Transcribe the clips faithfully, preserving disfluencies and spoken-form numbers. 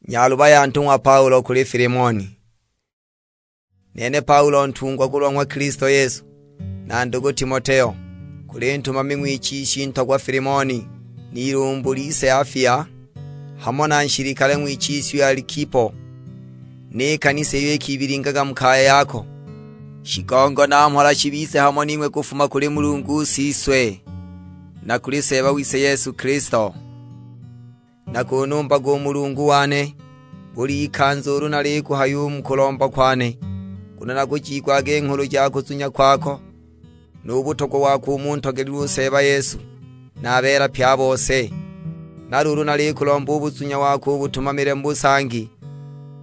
Nyaluba ya ntung'wa Paulo kuli Filimoni. Nene Paulo ntungwa kulwa ng'wa Kilisto Yesu, na ndugu Timoteo, kuli ntumami ng'wichishi ntogwa Filimoni, n'ilumbu lise Afia, hamo na nshilikale ng'wichishi Alikipo, ni kanisa iyo ikibilingaga mu kaya yako. Shigongo na mhola shibize hamo ning'we kufuma kuli Mulungu Siswe, na kuli Seeba wise Yesu Kilisto. Nakunumbaga u Mulungu wane, buli ikanza ulu nalikuhaya u mu kulomba kwane, nguno nakujiigwaga i nghulu ja kuzunya kwako, nu butogwa wako u mu ntogelilwe u Seeba Yesu, na a beela pye a bose. Na luulu nalikulomba u buzunya wako ubutumamile mu busangi,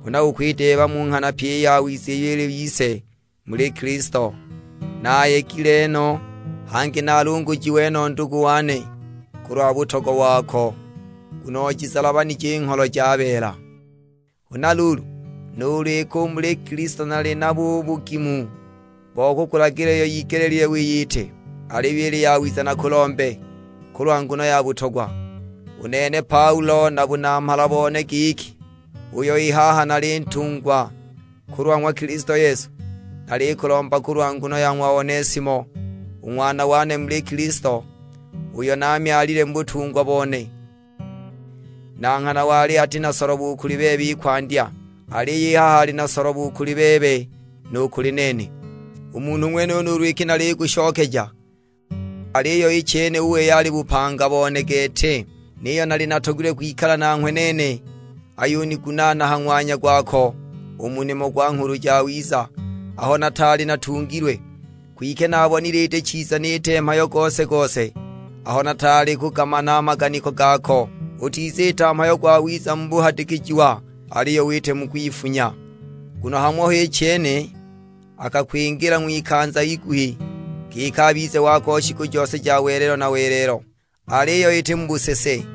huna ukwideeba mu nghana pyi i yawiza iyo ili yise muli Kilisto. Nayegile no, hangi nalungujiwe no ndugu wane, kulwa butogwa wako, nguno ojizalabanije i ngholo ja beela. Huna luulu, nuulu iki u muli Kilisto nali nabo u bugimu bo kukulagila iyo yigelile wiyite, aliyo ili yawiza nakulombe kulwa nguno ya butogwa. U nene Paulo na bunamhala bone giki, uyo i haha nali ntungwa kulwa ng'wa Kilisto Yesu, nalikulomba kulwa nguno ya ng'wa Onesimo, u ng'wana wane muli Kilisto, uyo namyalile mu butungwa bone. Na nghana wali ati na solobo u kuli bebe i kwandya, aliyo i haha ali na solobo u kuli bebe nu kuli nene. U munhu ng'wenuyu nuulu iki nalikushokeja, aliyo i chene u wei ali bupanga bone gete, niyo nali natogilwe kwikala nanghwe nene, ayunigunaana ha ng'wanya gwako u mu nimo gwa Nghulu Jawiza, aho nataali natungilwe. Kwike nabonile iti chiza niite mhayo gose-gose, aho nataali kugamana a maganiko gako. Utiziita mhayo gwawiza mu buhadikijiwa, aliyo wite mu kwifunya. Nguno hamo h'i chene akakwingila ng'wikanza iguhi, giki abize wako shiku jose ja welelo na welelo. Aliyo iti mu busese,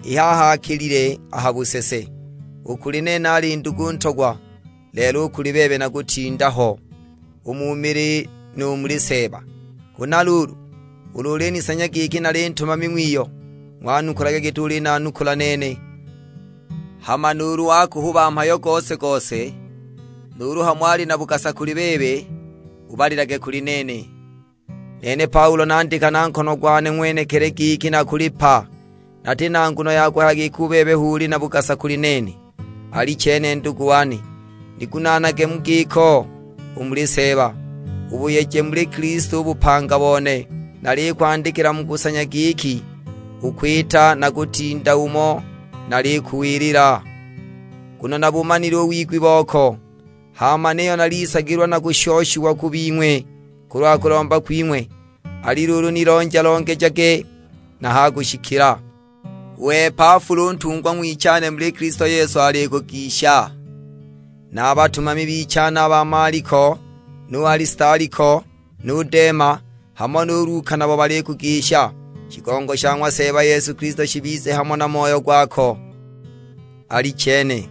i haha akilile a ha busese. U kuli nene ali ndugu ntogwa, lelo u kuli bebe nakutinda ho, u mu mili nu muli Seeba. Huna luulu, ulu ulinisanya giki nali ntumami ng'wiyo, ng'wanukulage giti ulinanukula nene. Hama nuulu wakuhuba mhayo gose-gose, nuulu hamo ali na bugasa kuli bebe, ubalilage kuli nene. Nene Paulo nandika na nkono gwane ng'wenekili giki nakulipa, nati na nguno ya kuhaya giki u bebe hu uli na bugasa kuli nene. Alichene ndugu wane, nigunaanage mu giko u muli Seeba, ubuyeje muli Kilisto u bupanga bone. Nalikwandikila mu kusanya giki ukwita na kutinda umo nalikuwilila, nguno nabumanile u wigwi boko. Hama niyo nalisagilwa na kushoshiwa ku bing'we kulwa kulomba kwing'we, ali luulu nilonja-longejage na ha kushikila. U Epafula u ntungwa ng'wichane muli Kilisto Yesu alikugisha, na a batumami bichane a ba Maliko, nu Alisitaliko, nu Dema, hamo nu Luka nabo balikugisha. Shigongo sha ng'wa Seeba Yesu Kilisto shibize hamo na moyo gwako. Alichene.